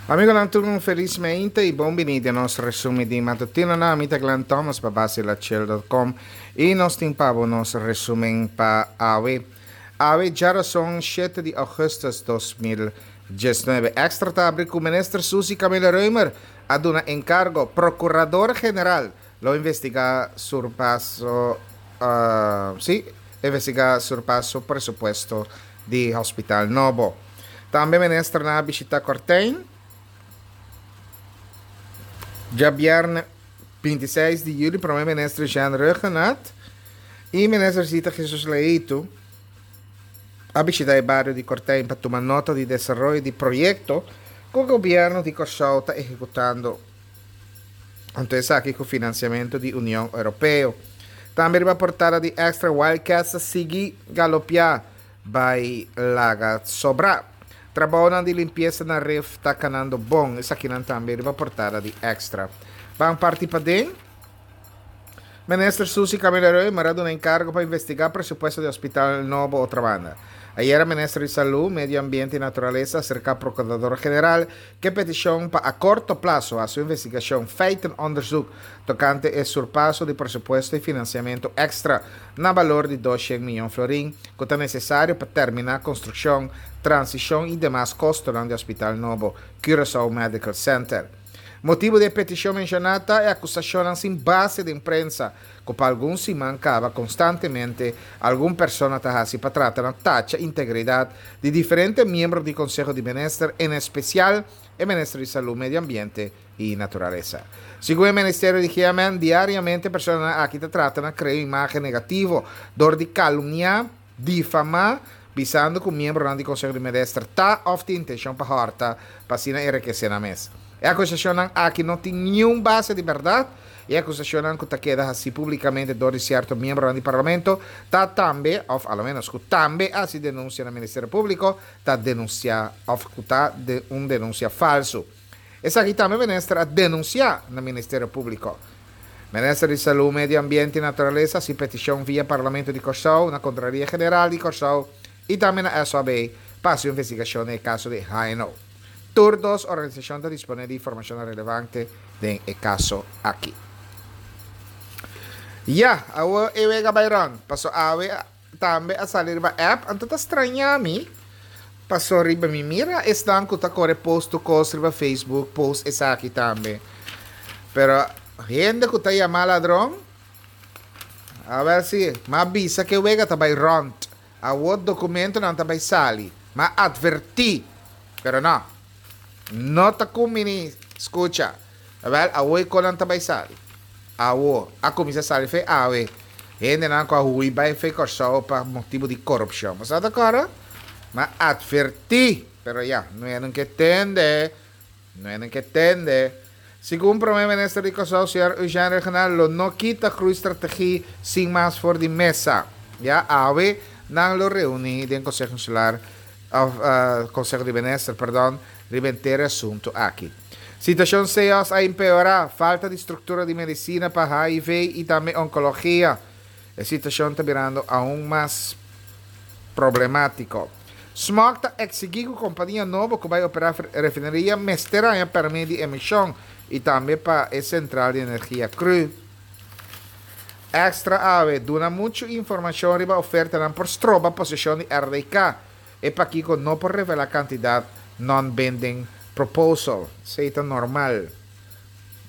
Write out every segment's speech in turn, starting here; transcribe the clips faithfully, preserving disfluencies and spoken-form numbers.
Amigonan tur un felis meinte y bon bini den nos resumen di matutino na mi ta Glenn Thomas pa base la chill punto com y nos tin pa bo nos resumen pa awe. Awe djarason shete di augustus dos mil diesnuebe. Extra ta abri cu minister Suzy Camelia Römer a duna encargo Procurador General lo investiga surpaso, uh, sí, investiga surpaso presupuesto di Hospital Nobo. Tambe minister na visita Cortein. Djabièrnè bintiseis di yüli, promé minister Jean Rhuggenaath i minister Zita Jesus Leito a bishitá e bario di Cortein pa tuma nota di desaroyo di proyekto ku gobièrnu di Kòrsou ta ehekutando. Anto esaki ku finansiamentu di Union Europeo. Tambe riba portada di Extra, Wildcats a sigui galopiá bai laga sobrá. Trabounan di limpiesa na ref ta kanando bon. Esakinan tambe riba portada di Extra. Ban parti paden. Minister Suzy Camelia Römer a duna enkargo pa investigá presupuesto di Hospital Nobo Otrabanda. Ayera Minister di Salú, Medio Ambiente i Naturalesa a aserká Prokurador General ku petishon pa a korto plaso hasi un investigashon feitenonderzoek tokante e surpaso di presupuesto i finansiamentu èkstra na balor di doshent mion florin ku ta nesesario pa terminá konstrukshon, transishon i demas kostonan di Hospital Nobo Curaçao Medical Center. Motibu di e petishon menshoná ta e akusashonnan sin base den prensa ku pa algun siman kaba konstantemente algun persona ta hasi pa trata na tacha integridat di diferente miembro di Konseho di Minister, en espesial e Minister di Salú, Medio Ambiente i Naturalesa. Segun e Ministerio di G M N, diariamente personanan aki ta trata na krea un imágen negativo dor di kalumniá, difamá, bisando ku miembronan di Konseho di Minister ta òf tin intenshon pa hòrta pa asina enrikesé nan mes. E akusashonnan aki no tin niun base di bèrdat i e akusashonnan ku ta keda hasi públikamente dor di sierto miembronan di parlamento ta tambe, òf a lo ménos ku tambe hasi denunsia na Ministerio Públiko, ta denunsiá òf ku ta de un denunsia falsu. Esaki tambe minister a denunsiá na Ministerio Públiko. Minister di Salú, Medio Ambiente i Naturalesa hasi petishon via Parlamento di Kòrsou na Kontraloria General di Kòrsou i tambe na S O B pa hasi un investigashon den e kaso di H N O. Tur dos organisashon ta disponé di informashon relevante den e kaso aki. Ya, awo e wega bai rond. Paso awe tambe a sali riba app, anto ta straña mi. Paso riba mi mira esnan ku ta kore post tu kos riba Facebook, post esaki tambe. Pero hende ku ta yama ladron, a ver si, ma bisa ke wega ta bai rond. Awo documento nan ta bai sali. Ma adverti. Pero no. No ta kumini, escucha. Wel, awo e kolan ta bai sali. Awo, a kumisa sali fe awe. Hende nan ko hui bai fe Kòrsou pa motibo di korupshon. Mas ata kora? Ma adverti. Pero ya, no é nunca tende. No é nunca tende. Segun Prome Minister di Kòrsou, señor Eugene Rhuggenaath, lo no kita groeistrategie sin mas for di mesa. Ya, awe, nan lo reuni den Consejo Insular, of, eh, Consejo di Minister, perdon, riba entero asunto aki. Situacion C O S a empeora, falta di structura di medicina pa H I V y tambe oncologia. E situacion ta birando aún mas problemático. Smog ta exigi ku compañía nobo ku bai opera refineria mester haña permit di emisión y tambe pa e central di energia cru. Extra ave, duna mucho información riba oferta nan por stroba posesión di R D K. E pakiko no por revela cantidad non-binding proposal. Seita normal.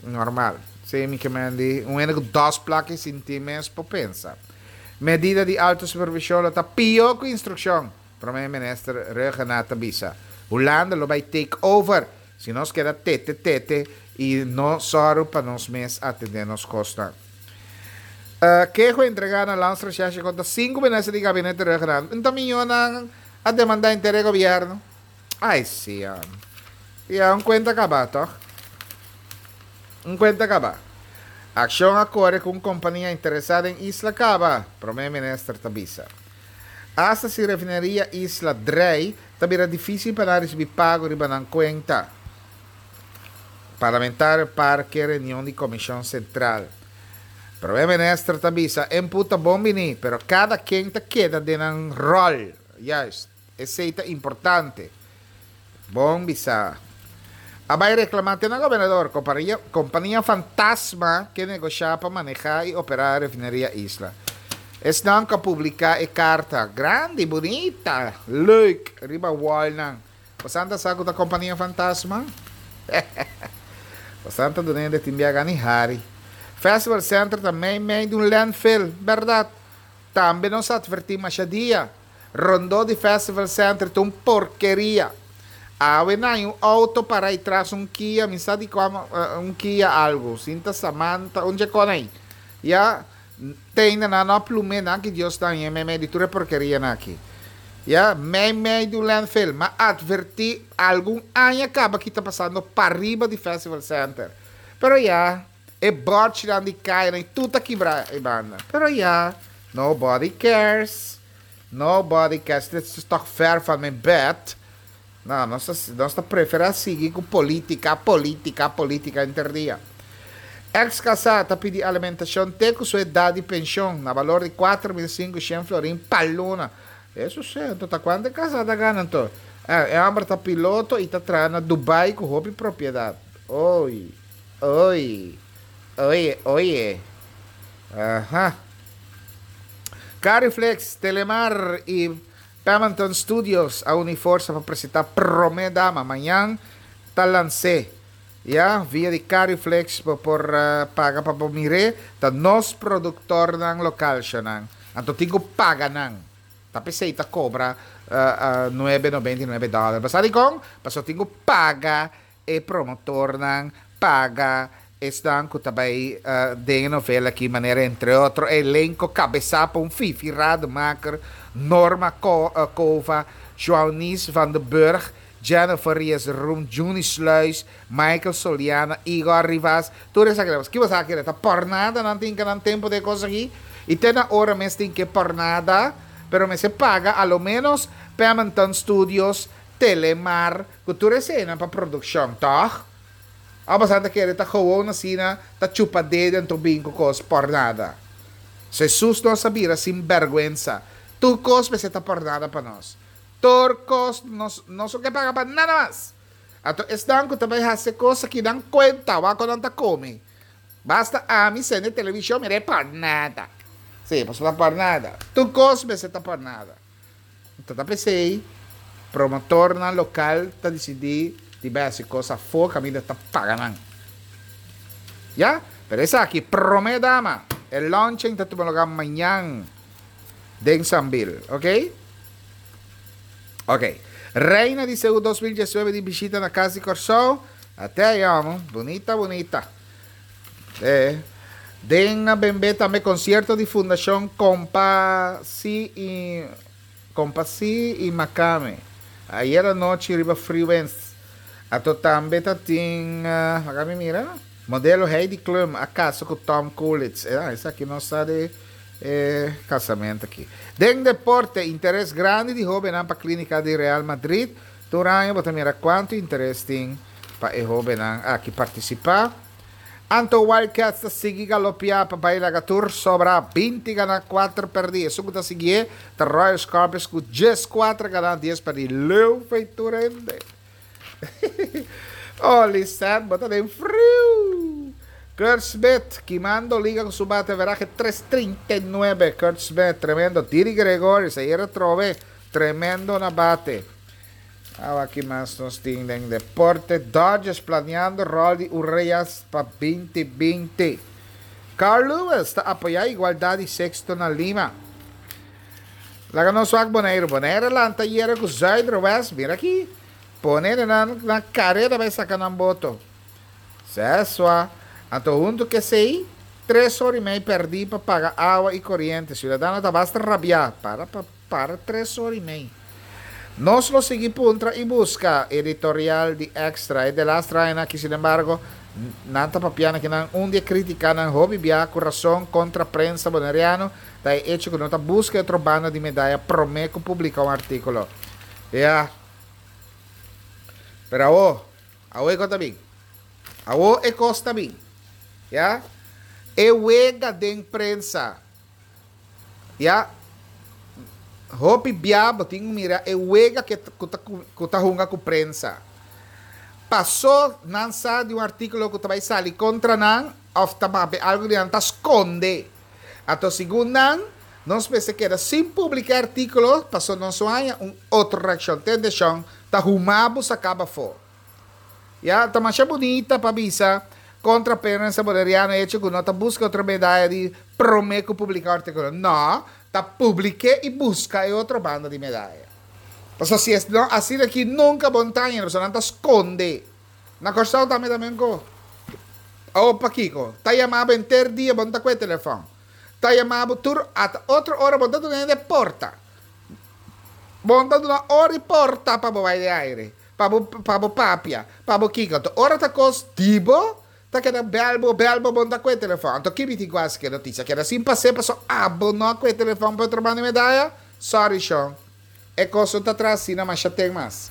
Normal. Sí, mi que me di un ene con dos placas sin ti mes po pensa. Medida di alto supervisión lo ta pio ku instrucción. Prome minister Rhuggenaath bisa. Hulanda lo bai take over. Si nos queda tete tete y no soro pa nos mes atender nos costa. Eh, quejo entregada na Landsrecherche contra cinco ministros di gabinete Rhuggenaath. Então, milhona a demandar interés gobierno. Ai, sí, ah. Ya, un cuenta acaba, toch? Un cuenta acaba. Acción a corre con compañía interesada en Isla Caba, Prome Minister Tabisa. Hasta si refinería Isla Drei, también era difícil para recibir pago riba nan cuenta. Parlamentario Parque reunión de Comisión Central. Prome Minister Tabisa, en puta bombini, pero cada quien te queda de un rol. Juist, ese está importante. Bombisa. A bai reklamá te na gobernador, kompania, kompania fantasma ke negoshá pa manehá i operá refineria Isla. Esnan ku a publiká e karta grandi, bunita, leuk, riba wallnan. Boso ta sa ku ta kompania fantasma? Boso ta dunando tin biaha ni hari. Festival Center ta mei mei di un landfill, bèrdat? Tambe nos a atvertí masha dia. Rondó di Festival Center ta un porkeria. Awe nan un outo para ei tras un Kia, mi sa di kua, un Kia algu, sinta Samantha, un dje ei. Ya, tin na no plume na ki Dios ta mei mei di tur e porkeria nan aki. Ya, mei mei di landfill, m'a atvertí algun aña kaba ku ta pasando pariba di Festival Center. Pero ya, e bòrchi di kai, tur ta kibrá e banda. Pero ya, nobody cares. Nobody cares. Dit is toch ver van mijn bed. No, nos, nos ta preferá sigui ku polítika, polítika, polítika henter dia. Ex-kasá ta pidi alimentashon te ku su edat di penshon na balor di kuater mil sinkushen florin pa luna. Esei si, ta kuantu kasá ta gana anto? E, e hòmber ta piloto i ta traha na Dubai ku hopi propiedat. Oi, oi, oi, oi. Aha. Cariflex, Telemar i Pemington Studios a uni forsa pa presentá Promé Dama. Mañan ta lans'é. Ya, via di Cariflex por, por uh, paga pa mir'é, ta nos produktornan lokal nan. Anto tin ku paga nan. Ta p'esei ta kobra uh, uh, nuebe nobenta i nuebe dòler. Mas sabi kon? Paso tin ku paga e promotornan, paga esnan ku tambe uh, den novela aki, manera entre otro, elenko kabesá pa un Fifi Rademaker, Norma Ko, uh, Kova, Joanis van den Burg, Jennifer Ries Room, Juni Sluis, Michael Soliana, Igor Rivas, tur esaki. Kiko bo ke? Ta por nada, no tin ku nan tempu di kos aki. I te na ora mes tin ku por nada, pero mester paga a lo menos Pemington Studios, Telemar, ku tur esei pa produkshon, toch? A bastante kere ta gewoon asina, ta chupa dedo anto bin ku kos por nada. Jesus nos a bira sinbèrgwensa. Tur kos mester ta por nada pa nos. Tur kos nos nos no ke paga pa nada mas. Anto esnan ku tambe hasi kos ku nan kuenta, wak nan ta kome. Basta ami sende televishon, mira por nada. Si, paso por nada. Tur kos mester ta por nada. Anto ta p'esei, promotornan lokal ta disidí di bai hasi kos afó, kaminda ta paga nan. Ya? Pero esaki, Promé Dama, e launching ta tuma lugá mañan den Sambil, ok? Ok. Reina di Seú dos mil diesnuebe di bishita na Kas di Kòrsou. Ata ei, amo. Bunita, bunita. E. Den bembe tambe konsierto di Fundashon Kompasi i Kompasi i Makame. Ayera nochi riba Freewinds. Anto tambe tatin, uh, mi mira, modelo Heidi Klum a kasa ku Tom Kaulitz. Eh, esaki nos sa di eh, kasamentu aki. Den deporte, interes grandi di hóbennan pa klínika di Real Madrid. Tur aña, bo ta mira kuantu interes tin pa e hóbennan aki partisipá. Anto Wildcats ta sigui galopiá pa bai laga tur sobra, binti ganá, kuater pèrdí. Esun ku ta sigui ta Royal Scorpions ku dieskuater ganá, dies pèrdí. Leu feitura hende. Oh, Lisette, bo ta den friu. Kurt Smith, kimando liga ku su bate averahe tres trinta i nuebe. Kurt Smith, tremendo. Didi Gregorius, ayera trobe, tremendo na bate. Ah, aki mas nos tin den deporte. Dodgers planiando rol di Urias pa dos mil binti. Carl Lewis ta apoyá igualdat di sekso na Lima. Laga nos wak Boneiru. Boneiru lanta ayera ku Zuiderwest. Mira aki. Pone na, na karera bai saka nan boto. Sesua. Anto huntu ku esei, tres ora i mei pèrdí pa paga awa i koriente. Siudadano ta basta rabiá. Para, para, para tres ora i mei. Nos lo sigui puntra i buska editorial di Extra. E de las traen aki, sin embargo, nan ta papiando ku nan un dia kritiká nan hopi bia ku rason kontra prensa boneriano, ta e hecho ku no ta buska otro banda di medaya promé ku publiká un artíkulo. Ja. Pero awo, awo e kos ta bin. Awo e kos ta bin. Ja? E wega den prensa. Ja? Hopi bia bo tin mira e wega ku ta ku ta hunga ku prensa. Pasó nan sa di un artíkulo ku ta bai sali kontra nan òf ta papia algu di nan ta skonde. Anto segun nan, nos mester keda sin publiká e artíkulo pasó nos no haña un otro reakshon. Tende shon, ta huma bo saká bo afó. Ya, ta masha bunita pa bisa kontra prensa boneriano e echo ku no ta buska otro medaya di promé ku publiká un artíkulo. No, ta publik'é i buska e otro banda di medaya. Pasobra si es no asina aki nunka bo no ta haña, pasobra nan ta skonde. Na Kòrsou tambe ta menko. Awor pakiko? Ta yama bo henter dia bo no ta kue telefòn. Ta yama bo tur ata otro ora bo no ta duna hende porta. Bo no ta duna ora i porta pa bo bai den aire, pa bo pa bo papia, pa bo kiko. Anto ora ta kos di bo ta keda bèl bo bèl bo bo no ta kue telefòn. Anto ki mi tin ku hasi ku e notisia? Keda sin pas'é pasobra abo no a kue telefòn pa otro banda di medaya? Sorry shon. E kos no ta traha asina masha ten mas.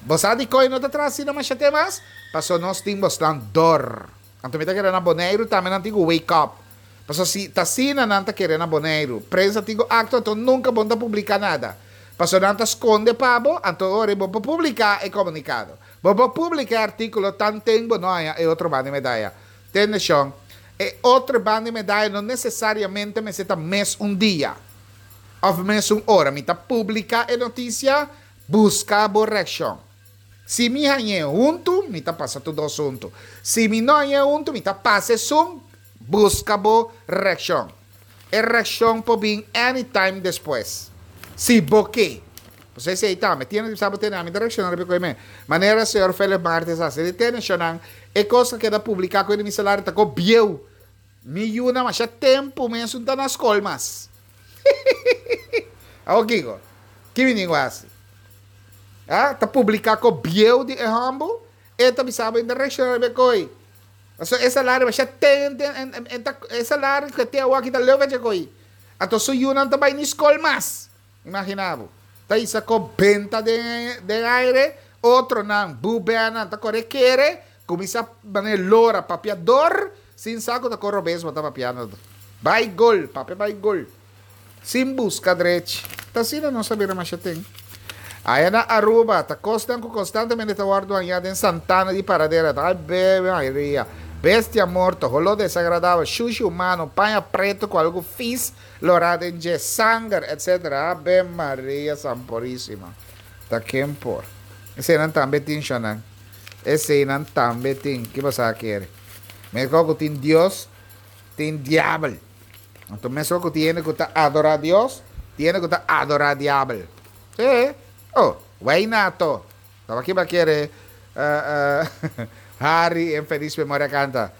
Bo sa dikon e no ta traha asina masha ten mas? Pasobra nos tin bosnan dor. Anto mi ta kere na Boneiru tambe nan tin ku wake up. Pasobra si ta asina nan ta kere na Boneiru, prensa tin ku aktua anto nunka bo no ta publika nada. Pasobra nan ta skonde pa bo, anto ora bo por publika e komunikado. Bo por publika e artíkulo tanten bo no haña e otro banda di medaya. Tende shon, e otro banda di medaya no nesesariamente mester ta mes un dia. Of mesun ora mi ta publica e noticia, busca bo reaccion. Si mi hañ'é huntu, mi ta pasa tur dos huntu. Si mi no hañ'é huntu, mi ta pasa esun, busca bo reaccion. E reaccion por bin anytime despues. Si bo ke. Pasobra esei tambe, tiene di sa bo tene, ami ta reacciona riba e koe me. Manera señor Philip Martes a hasi, di tene shonnan, e cos a keda publica koe di mi salario ta ko bieu. Mi yunan masha tempu mes un ta na skol mas. Awor kiko? Ki mi tin ku hasi? Ha? Ta publiká ko bieu di e hòmber? E ta bisa bo inta reakshoná riba e koi. Pasobra e salario masha ten ten en ta e salario ku e tin awor aki ta leu fecha koi. Anto su yunan ta bai ni skol mas. Imaginá bo. Ta hisa ko benta den den aire, otronan bubènan ta kore kere, kuminsá manera lora papiador sin sa ku ta kor robes bo ta papiando. Bai gol, papia bai gol. Sin buska drechi. Ta asina nos a bira masha ten. Aya na Aruba, ta kosnan ku konstantemente ta wòrdu hañá den santana di paradera. Ta bebe mayoria. Bestia morto, holó desagradabel, shushi humano, paña pretu ku algu fis lorá den dje, sanger, etsetera. Ave Maria Sanpurísima. Ta ken por. Eseinan tambe tin, shonnan. Eseinan tambe tin. Ki bo sa kere? Meskos ku tin Dios, tin diabel. Anto meskos ku tin hende ku ta adorá Dios, tin hende ku ta adorá diabel. Sí. Oh, wei nato. Tabata kiba kere Harry en feliz memoria kanta.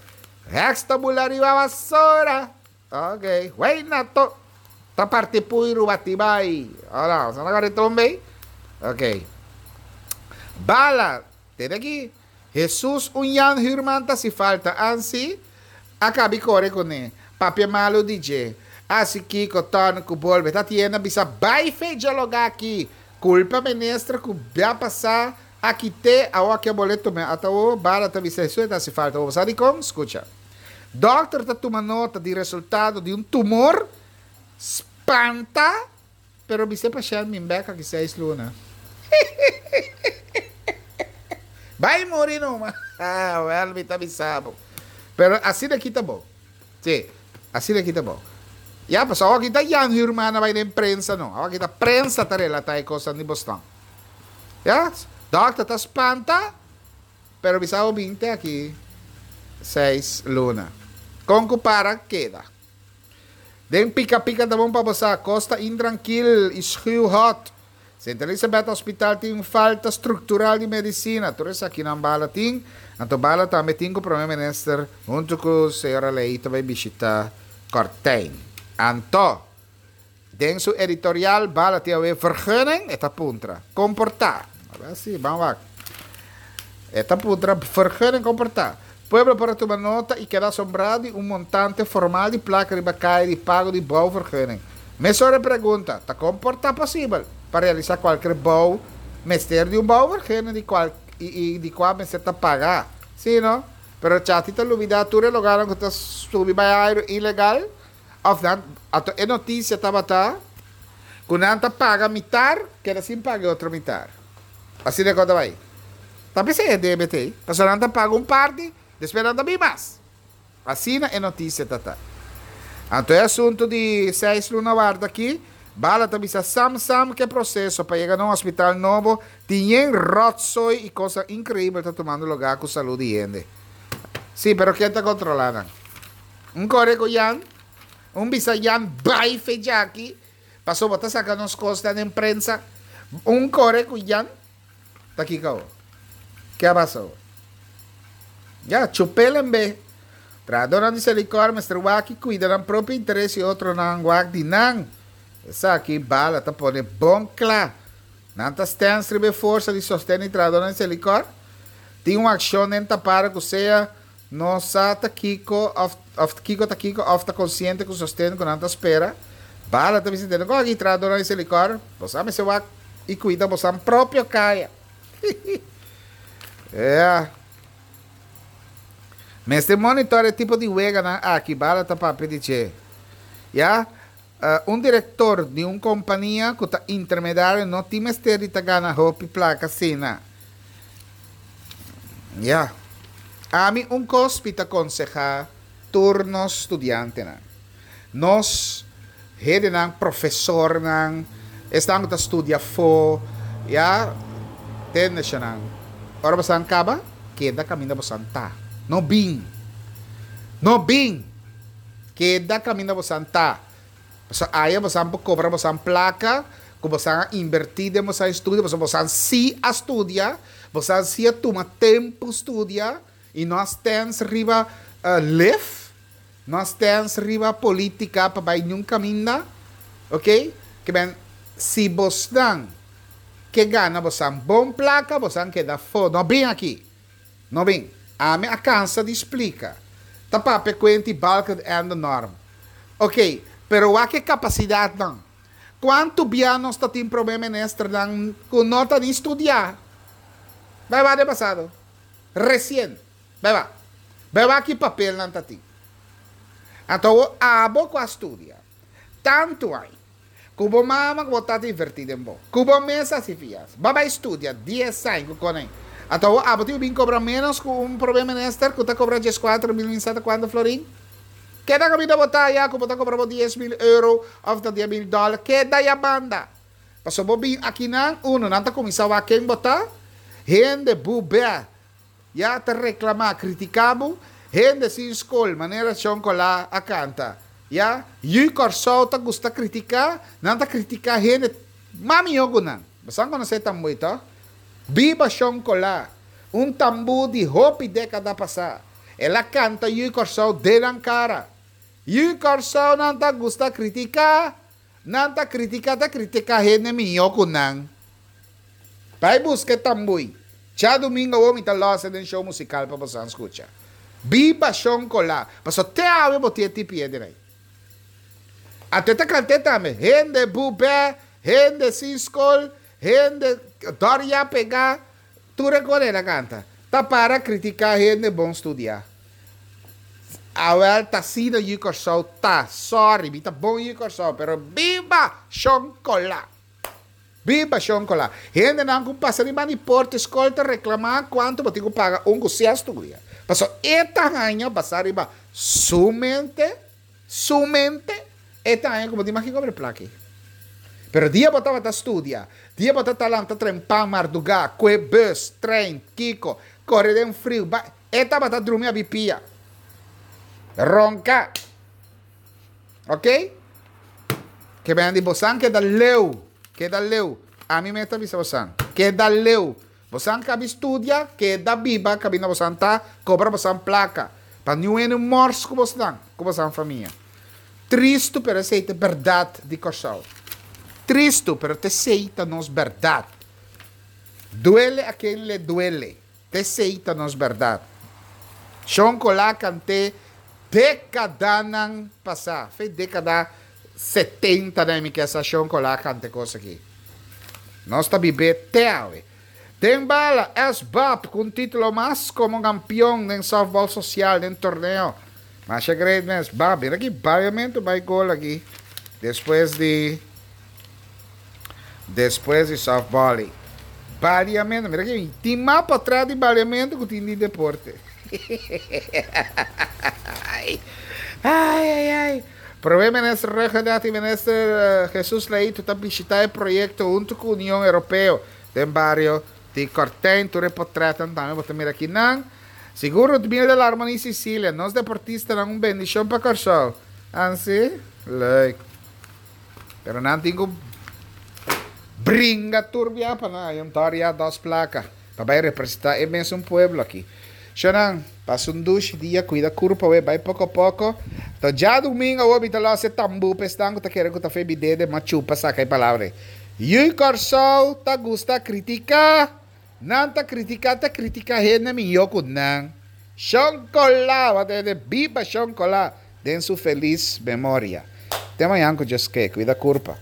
Heks ta bula riba basora. Ok, wei nato. Ta parti puiru bati bai. Ora, sa na kore tumbe? Ok. Bala, tene aki. Hesus un Jan Huurman ta si falta ansi a kabi kore kuné, papia malu di dje, hasi kiko, tòrn ku bolbe ta tienda bisa bai fe djaloga aki, kulpa minister ku bia pasá a kité awor ke bole tumé ata awor bala ta bisa Hesus e ta hasi falta bo sa dikon? Skucha dòkter ta tuma nota di resultado di un tumor spanta. Pero bis'é pashènt min bèk aki seis luna. Bai muri numa. Wèl mi ta bisa bo. Pero asina aki ta bo. Sí, asina aki ta bo. Ya, pasobra awor aki ta Jan Huurman a bai den prensa no. Awor aki ta prensa ta relatá e kosnan di Boston. Ya, dòkter ta spanta, pero bisa bo bin te aki seis luna. Kon ku para keda. Den pika pika ta bon pa bo sa, kos ta intrankil i schuw hot. Sint Elisabeth Hospital tin un falta struktural di medisina, tur esakinan bala tin, anto bala tambe tin ku Prome Minister huntu ku señora Leito bai bishita Kortijn. Anto, den su editorial bala tin awe vergunning? E ta puntra. Kon por ta? Aba si, ban wak. E ta puntra, vergunning kon por ta? Pueblo por a tuma nota i keda asombrá di un montante formal di plaka riba kaya di pago di bouwvergunning. Mesora e pregunta, ta kon por ta posibel pa realisá kualker bou mester di un bouwvergunning di kual i di kua mester ta pagá? Sí, no? Pero Chati ta lubidá tur e logarnan ku ta subi bai airu ilegal? Òf nan, anto e notisia tabata ku nan ta paga mitar, keda sin paga e otro mitar. Asina e kos ta bai. Ta p'esei e debe t'ei. Pasobra nan ta paga un parti, despues nan ta bin mas. Asina e notisia ta ta. Anto e asuntu di seis luna warda aki, Bala ta bisa sam sam ku e proseso pa yega na un hospital nobo tin yen rotzooi i kosnan inkreibel ta tumando lugá ku salú di hende. Sí, pero ken ta kontrolá nan? Un kore ku Jan, un bisa Jan bai fe djaki, pasobra bo ta saka nos kosnan den prensa. Un kore ku Jan, ta kiko awor? Ke a pasa awor? Ya, chup'el en be. Trahadónan di Selikor mester wak i kuida nan propio interes i otronan wak di nan. Esaki Bala ta pone bon kla. Nan ta stens riba e forsa di sosten di trahadónan di Selikor. Tin un akshon den tapara ku sea no sa ta kiko òf òf kiko ta kiko òf ta konsiente ku sosten ku nan ta spera. Bala ta bisa tene ku aki trahadónan di Selikor, boso a mester wak i kuida bosan propio kaya. Ya. Mester monitor e tipo di weganan aki, Bala ta papia di dje. Ya, un direktor di un kompania ku ta intermedario no tin mester di ta gana hopi plaka asina. Ya. Ami un kos mi ta konsehá tur nos studiantenan. Nos hedenan, profesornan, esnan ku ta studia afó, ya, tende eshanan. Ora bosan kaba, keda kaminda bosan ta. No bin. No bin! Keda kaminda bosan ta. Pasobra aya bosan por kobra bosan plaka ku bosan a inbertí den bosan estudio, pasobra bosan sí a studia, bosan sí a tuma tempu studia i no a stèns riba lef. No a stens riba politica pa bay niun caminda, ok, ke men si bosnan ke gana bosan bon placa bosan keda afo, no bin aki, no bin, ami a cansa di splica, ta papia cuenti Balkenende norm, ok, pero wak e capacidadnan, cuanto bia nos ta tin prome ministernan cu no ta ni studia, bay wak den pasado, recien, bay wak. Bai wak ki papel nan ta tin. Anto awor abo ku a studia tantu ai, ku bo mama ku bo tata inverti den bo, ku bo mes a hasi fias, bo a bai studia dies aña ku konai. Anto awor abo tin ku bin kobra menos ku un prome minister ku ta kobra dieskuater mil mi sa ta kuantu florin? Keda kaminda bo ta aya ku bo ta kobra bo dies mil euro of ta dies mil dollar, keda ya banda. Pasobra bo bin akinan, uno, nan ta kuminsá wak ken bo ta, hende bubè. Ya ta reclama, critica bo, hende sin scol, manera Shon Colá a canta. Ya, yu Corsou ta gusta critica, nan ta critica hende mas miho cu nan. Bosan conoce e tambui toch? Biba Shon Colá, un tambu di hopi decada pasa. El a canta yu Corsou den nan cara. Yu Corsou nan ta gusta critica, nan ta critica, ta critica hende miho cu nan. Bai busca e tambui. Djadumingo awor mi ta lòs e den show musical pa boso skucha. Biba Shon Colá. Paso te awe bo tin e tipi den ei. Ate ta kant'é tambe. Hende bubè, hende sin skol, hende dòrya pegá. Tur e kos el a kanta. Ta para kritiká hende bon studiá. Awèl ta asina yu Kòrsou ta. Sòri, mi ta bon yu Kòrsou, pero biba Shon Colá! Biba shon kola. Hendenan ku pasa riba di porta e skol ta reklamá kuantu bo tin ku paga un ku si a studia. Pasobra e ta haña basá riba su mente, su mente, e ta haña ku bo tin maki kobra e plaka ei. Pero dia bo tabata studia, dia bo ta ta lanta trempan mardugá, kue bus, trein, kiko, kore den friu, bai, e tabata drumi abi pia. Ronka. Ok? Ke ben di bosan keda leu, keda leu. Ami mes ta bisa bosan, keda leu. Bosan kabi studia, keda biba kabinda bosan ta, kobra bosan plaka. Pa niun hende mors ku bosnan, ku bosan famia. Tristu pero esei ta e bèrdat di Kòrsou. Tristu pero t'esei ta nos bèrdat. Duele a ken le duele. T'esei ta nos bèrdat. Shon Colá kant'é dékadanan pasá, fe dékada setenta den mi ke sa Shon Colá kanta e kos aki. Nos ta bib'é te awe. Den bala, S-Bap ku un título mas komo kampion den sòftbòl sosial den torneo. Masha great mes. Bap, mira ki baiamentu bai gol aki despues di despues di sòftbòl ei. Baliamentu, mira aki, tin mas patras di baliamentu ku tin di deporte. Ai, ai, ai. Promé Minister Rhuggenaath i Minister Jesus Leito ta bishitá e proyekto huntu ku Union Europeo den bario di Kortijn. Tur e portrètnan tambe bo ta mira akinan. Segun Rudmilda Larmonie Cecilia, nos deportistanan un bendishon pa Kòrsou. Ansi? Leuk. Pero nan tin ku bringa tur bia pa nan haña un toria dos plaka pa bai representá e mesun pueblo aki. Shonnan, pasa un dushi dia, kuida kurpa we, bai poko poko. To djadumingu awor mi ta los e tambú pa esnan ku ta kere ku ta fe mi dede ma chupa saka e palabra ei. Yui Kòrsou ta gusta kritiká. Nan ta kritiká ta kritiká hende mihó ku nan. Shon Kolá! Bo a tende? Biba Shon Kolá den su felis memoria. Te mañan ku Dios ke. Kuida kurpa.